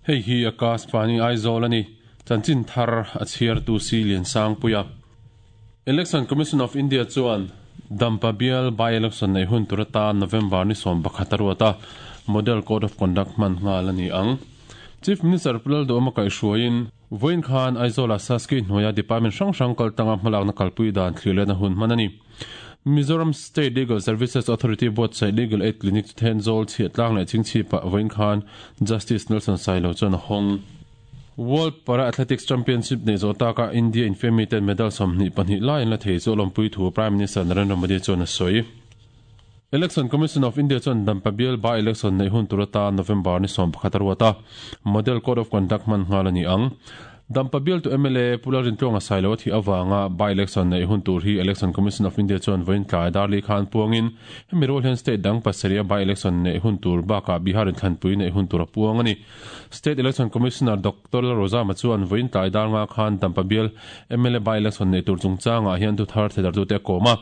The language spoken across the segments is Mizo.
Hei hi Akashvani Aizawl a ni. Chanchin thar a chhiartu si Liansangpuia. Election Commission of India chuan Dampa bial by-election neih hun tur atan November ni 11 a ruat a, Model Code of Conduct hman nghal a ni ang. Chief Minister Pu Lalduhawma kaihhruaiin vawiin khan Aizawla Saski hnuaia department hrang hrang kaltanga hmalakna kalpui dan thlir lehna hun hman a ni. Mizoram State Legal Services Authority buatsaih Legal Aid Clinic chu Thenzawl chhiahtlang leh chingchhipah vawiin khan Justice Nelson Sailo chuan a hawng. World Para Athletics Championship neih zawh taka India infiammi ten medal 22 lai an la thei chu a lawmpui thu Prime Minister Narendra Modi chuan a sawi. Election Commission of India chuan Dampa bial by-election neih hun tur atan November ni 11 a ruat a, Model Code of Conduct hman nghal a ni ang. Dampa bialtu mla Pu Lalrintluanga Sailo a thih avanga by-election neih hun tur hi Election Commission of India chuan vawiin tlai darli khan puangin hemi rual hian state dang pasarih a by-election neih hun tur bakah Bihar inthlanpui neih hun tur a puang a ni. State Election Commissioner Doctor Lalrozama chuan vawiin tlai dar nga khan Dampa bial mla by-election neih tur chungchangah hian thuthar theidartute a kawm a.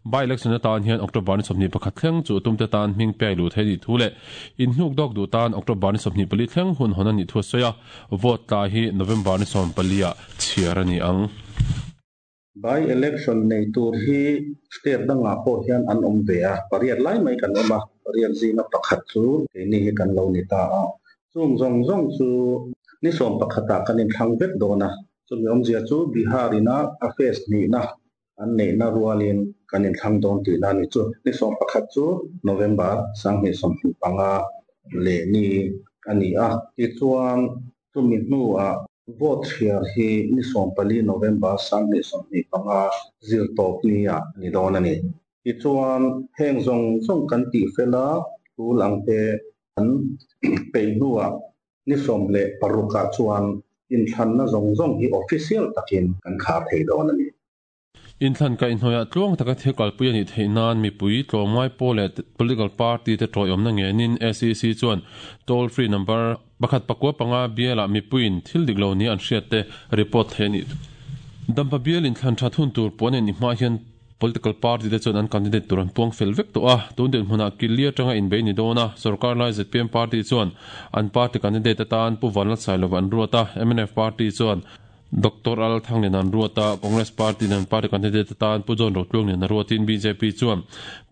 By-election atan hian October ni 21 thleng chu tumte tan hming piai luh theih a nih thu leh inhnuk dawk duh tan October ni 24 thleng hun hawn a nih thu a sawi a. Vote tlai hi November ni 14 ah chhiar a ni ang. By-election nei tur hi state dangah pawh hian an awm ve a, pariat lai mai kan awm a, pariat zinga pakhat chu keini hi kan lo ni ta a. Chung zawng zawng chu ni 11 ah kan inthlang vek dawn a, chumi awmzia chu Bihar ina a phase hnihna an neihna rualin kan inthlang dawn tihna a ni chu. Ni 11 chu November 2025 leh ni a ni a, tichuan chumi hnuah vote chhiar hi ni 14 November 2025 zirtawp ni ah ni dawn a ni. Tichuan heng zawng zawng kan tih fel a, tul ang te an peih hnuah ni 16 ah chuan inthlanna zawng zawng hi official takin kan khar thei dawn a ni. Inthlan kaihhnawihah tluang taka thil kalpui a nih theih nan mipui tlawmngai pawl leh political party te tawiawmna ngenin SEC chuan toll free number pakhat pakua panga bialah mipuiin thil dik lo nia an hriat te report theih a nih thu. Dampa bial inthlan that hun tur puan en i hma hian political party te chuan an candidate tur an puang fel vek tawh a, tun dinhmunah Killi atanga inbei ni dawn a, sorkar lai zpm party chuan an party candidate atan Pu Vanlalsailova an ruat a, mnf party chuan Doctor Al Thanglian an ruat a, Congress Party in an party candidate atan Pu John Rotluanglian a ruatin bjp chuan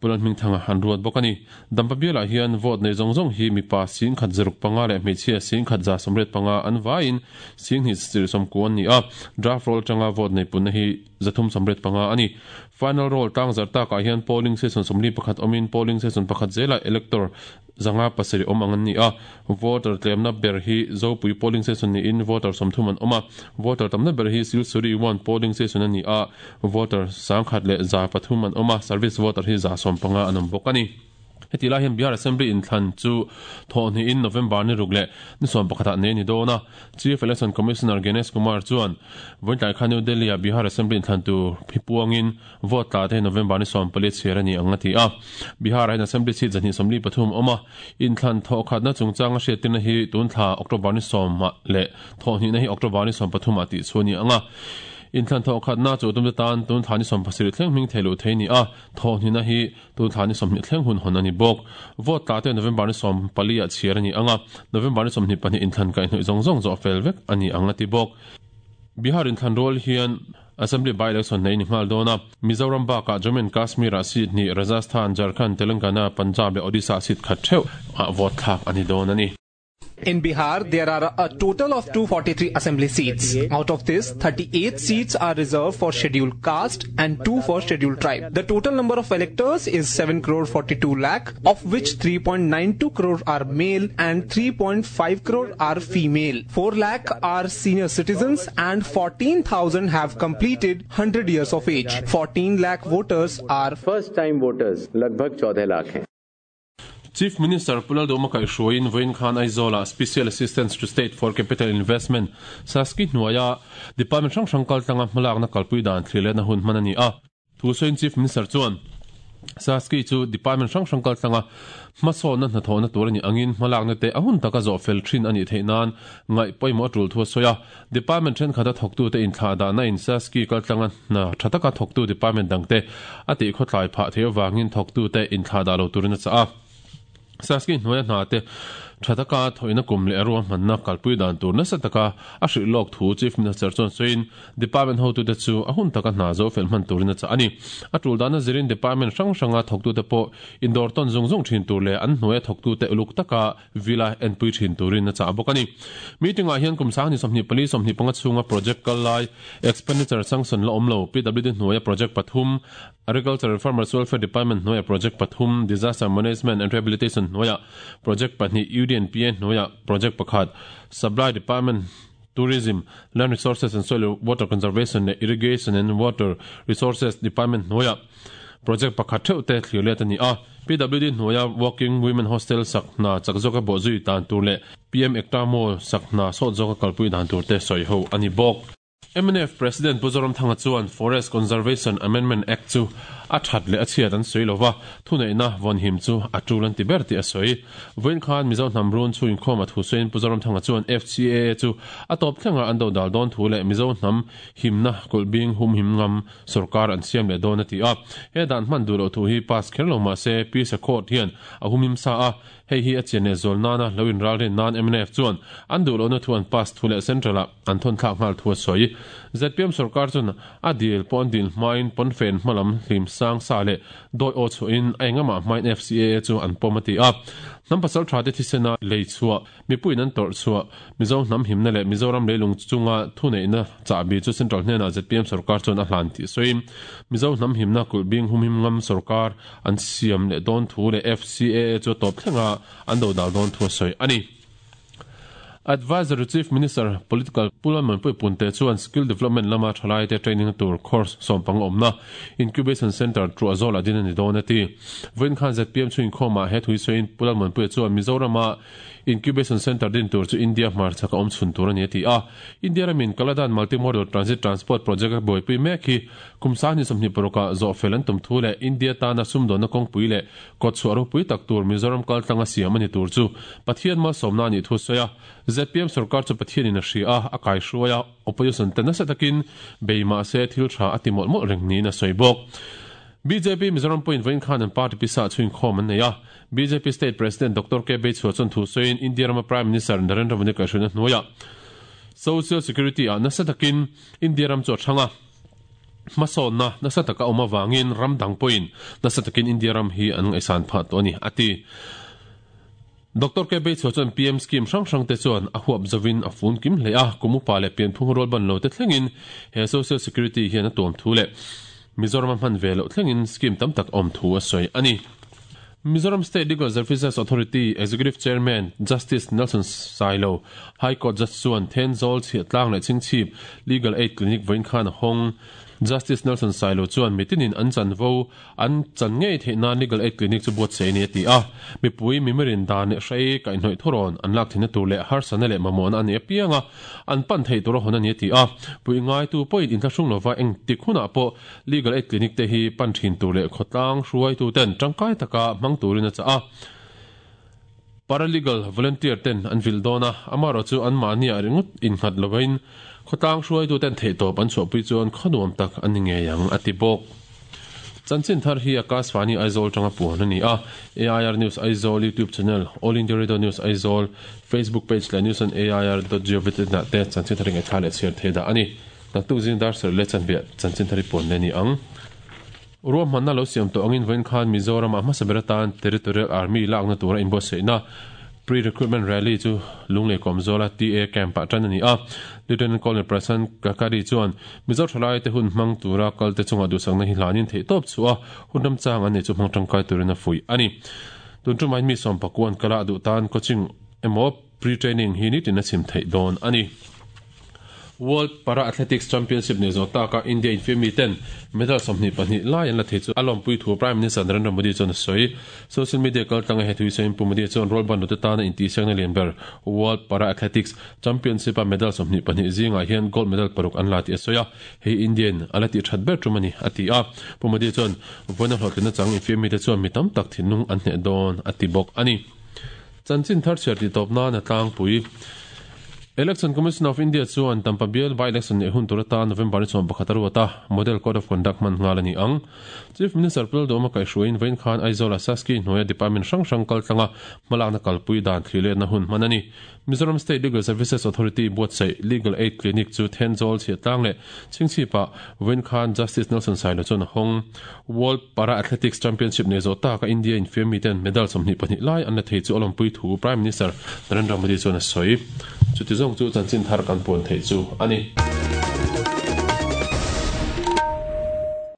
Pu Lalhmingthanga an ruat bawk a ni. Dampa bialah hian vote nei zawng zawng hi mipa 1065 leh hmeichhia 1185 an vaiin 2290 an ni a, draft roll atanga vote nei punna hi 385 a ni. Final roll tlangzar takah hian polling station 41 awmin polling station pakhat zelah elector 507 awm ang an ni a, voter tlemna ber hi Zopui polling station niin voter 30 an awm a, voter tamna ber hi Silsuri one polling station a ni a, voter 1103 an awm a, service voter hi 115 an awm bawk a ni. Heti lai hian Bihar Assembly inthlan chu thawhhnihin November ni ruk leh ni 11 ah nei a ni dawn a, Chief Election Commissioner Ganesh Kumar chuan vawiin khan New Delhi ah Bihar Assembly inthlan tur hi puangin Vote tla te hi November ni 14 chhiar a ni ang a ti a. Bihar ah hian Assembly seat 243 a awm a, inthlan thawhkhatna chungchanga hriattirna hi tun thla October ni 10 ah leh thawhhnihna hi October ni 13 ah tih chu a ni ang a. Inthlan thawhkhatna chu tumte tan tun thla ni 17 thleng hming thei luh thei a ni a, thawhhnihna hi tun thla ni 20 thleng hun hawn a ni bawk. Vote tla te November ni 14 ah chhiar a ni ang a, November ni 22 inthlan kaihhnawih zawng zawng zawh fel vek a ni ang a ti bawk. Bihar inthlan rual hian Assembly by-election nei ni nghal dawn a, Mizoram bakah Jammu and Kashmir ah seat hnih, Rajasthan, Jharkhand, Telangana, Punjab leh Odisha ah seat khat theuh ah vote thlak a ni dawn a ni. In Bihar, there are a total of 243 assembly seats. Out of this, 38 seats are reserved for scheduled caste and 2 for scheduled tribe. The total number of electors is 7 crore 42 lakh, of which 3.92 crore are male and 3.5 crore are female. 4 lakh are senior citizens and 14,000 have completed 100 years of age. 14 lakh voters are first time voters lagbhag 14 lakh hain. Chief Minister Pu Lalduhawma kaihhruaiin vawiin khan Aizawlah Special Assistance to State for Capital Investment, SASCI, hnuaia Department hrang hrang kaltlanga hmalakna kalpui dan thlir lehna hun hman a ni a. Thu sawiin Chief Minister chuan, SASCI chu department hrang hrang kaltlanga hmasawnna hnathawhna tur a nih angin hmalakna te a hun taka zawh fel thin a nih theih nan ngaih pawimawh a tul thu a sawi a. Department thenkhata thawktute inthlahdahna in SASCI kaltlanga hna tha taka thawktu department dangte a tihkhawtlai phah theih avangin thawktute inthlahdah lo turin a chah a. Sasky hnuaia hna te tha taka thawhina kum leh a ruahmanna kalpui dan tur nasa taka a hrilh lawk thu Chief Minister chuan sawiin Department hotute chu a hun taka hna zo fel hman turin a chah a ni. A tul dana zirin Department hrang hranga thawktute pawh indawr tawn zung zung thin tur leh an hnuaia thawktute uluk taka vila enpui thin turin a chah bawk a ni. Meeting ah hian kum sang ni 24 25 chhunga project kal lai expenditure sanction la awm lo PWD hnuaia project pathum Agriculture and Farmers Welfare Department hnuaiah project pathum, Disaster Management and Rehabilitation hnuaiah project pahnih, UDNPA hnuaiah project pakhat, Supply Department, Tourism, Land Resources and Soil Water Conservation leh Irrigation and Water Resources Department hnuaiah project pakhat theuh te thlir let a ni a. PWD hnuaia Working Women Hostel sak hna chak zawka bawhzui dan tur leh PM Ekta Mall sak hna sawt zawka kalpui dan tur te sawi ho a ni bawk. Mnf President Pu Zoramthanga chuan Forest Conservation Amendment Act chu a that leh a chhiat an sawi lova, thuneihna vawnhim chu a tul an ti ber tih a sawi. Vawiin khan Mizo hnam run chu inkhawm a thu sawiin Pu Zoramthanga chuan FCAA chu a tawp thlenga an dodal dawn thu leh Mizo hnam himna kulhbing humhim ngam sorkar an siam leh dawn a ti a. He dan hman duh loh thu hi pass kher lo mah se Pi Sekhawt hian a humhim sa a, Hei hi a chian leh zual nana lo inralrin nan mnf chuan an duh lohna thu an pass thu leh Central-ah an thawn thlak nghal thu a sawi. Zpm sorkar chuan a dil pawh an dil hmain pawnfen hmalam hlim sang sa leh dawi aw chhuahin a engamah hmain FCAA chu an pawm a ti a. Hnam pasal thate thisena lei chhuah, mipuiin an tawrh chhuah, Mizo hnam himna leh Mizoram leilung chunga thuneihna chahbi chu Central hnenah zpm sorkar chuan a hlan tih sawiin Mizo hnam himna kulhbing humhim ngam sorkar An siam leh dawn thu leh FCAA chu a tawp thleng a, an dodal dawn thu a sawi a ni. Advisory Chief Minister, Political, Pu Lalmanpui Punte chuan Skill Development lama thalaite training tur course sawmpang awmna Incubation Centre Truahzawlah din a ni dawn a ti. Vawiin khan zpm chu inkhawmah he thui sawiin Pu Lalmanpuia chuan Mizorama Incubation Centre din tur chu India hmarchhak a awm chhun tur a ni a ti a. India ramin Kaladan Multimodal Transit Transport Project a buaipui mek hi Kum sangni 26 ah zawhfel an tum thu leh India tana sumdawnna kawngpui leh kawtchhuah ropui tak tur Mizoram kaltlanga siam a ni tur chu Pathian malsawmna a nih thu a sawi a. Zpm sorkar chu Pathianin a hria a, a kaihruai a, opposition te nasa takin bei mah se thil tha a ti mawlh mawlh reng niin a sawi bawk. Bjp Mizoram pawhin vawiin khan an party pisa chhuinkhawm an nei a. Bjp State President Doctor K Beichhua chuan thu sawiin India rama Prime Minister Narendra Modi kaihhruaina hnuaiah Social Security ah nasa takin India ram chu a thang a. Hmasawnna nasa taka awm avangin ram dang pawhin nasa takin India ram hi an ngaihsan phah tawh a ni, a ti. Doctor K. Beichhua chuan PM scheme hrang hrang te chuan a huap zovin a fun kim hle a, kum upa leh pianphung rualban lo te thlengin he social security hian a tuam thu leh Mizoram a hman ve loh thlengin scheme tam tak awm thu a sawi a ni. Mizoram State Legal Services Authority Executive Chairman Justice Nelson Sailo, High Court Judge chuan Thenzawl Chhiahtlang leh Chhingchhip Legal Aid Clinic vawiin khan a hawng. Justice Nelson Sailo chuan mitinin an chanvo an chan ngei theih nan Legal Aid Clinic chu buatsaih a ni a ti a. Mipui mimirin dan leh hrei kaihhnawih thurawn an lak theihna tur leh harsatna leh mamawhna a nih apianga an pan theih tur a hawn a ni a ti a. Puih ngaitu pawhin inthlahrung lova engtik hunah pawh Legal Aid Clinic te hi pan thin tur leh khawtlang hruaitu ten tangkai taka hmang turin a chah a. Paralegal volunteer ten an vilh dawn a, amaherawh chu anmahni ah ringawt innghat lovin khawtlang hruaitu ten theihtawp an chhuahpui chuan khaw nuam tak an ni ngei ang a ti bawk. Chanchin thar hi Akashvani Aizawl tanga puan a ni a, AIR News Aizawl YouTube channel, All India Radio News Aizawl Facebook page leh news on air dot gov dot in ah te chanchin thar hi ngaihthla leh chhiar thei dah a ni. Naktuk zing dar serh leh chanviah chanchin thar i puan leh ni ang. Ruahmanna lo siam tawh angin vawiin khan Mizoramah hmasa ber atan Territorial Army lakna tura inbuatsaihna Pre-Recruitment Rally chu Lunglei Kawmzawla TA Camp-ah tan a ni a. Lieutenant Colonel Prasant Kakari chuan Mizo thalaite hun hmang tura kalte chungah duhsakna hi hlanin theihtawp chhuah a, hun ramchang an nei chu hmang tangkai turin a fuih a ni. Tun tumah mi sawmpakuan kala duh tan coaching emaw pre-training hi nitin a chhim theih dawn a ni. World Para Athletics Championship nei zawh taka India infiammi ten medal 22 lai an la thei chu a lawmpui thu Prime Minister Narendra Modi chuan a sawi. Social media kaltlanga he thu hi sawiin Pu Modi chuan rualban nute tana intihsiakna lian ber World Para Athletics Championship a medal 22 zingah hian gold medal paruk an la tih a sawi a, hei India in a la tih that ber tum a ni a ti a. Pu Modi chuan vawiina hlawhtlinna chang infiammi te chuan mi tam tak thinlung an hneh dawn a ti bawk a ni. Chanchin thar chhiar tih tawp nan a tlangpui. Election Commission of India chuan Tampa bial by-election neih hun tur atan November ni 11 a ruat a, Model Code of Conduct hman nghal a ni ang. Chief Minister Pu Lalduhawma kaihhruaiin vawiin khan Aizawl-a Saski hnuaia department hrang hrang kaltlanga hmalakna kalpui dan thliletna hun hman a ni. Mizoram State Legal Services Authority buatsaih Legal Aid Clinic chu Thenzawl chhiahtlang leh Chhingchhipah vawiin khan Justice Nelson Sailo chuan a hawng. World Para Athletics Championship nei zawh taka India infiam miten medal 22 lai an la thei chu a lawmpui thu Prime Minister Narendra Modi chuan a sawi. Chuti zawng chu chanchin thar kan puan theih chu a ni.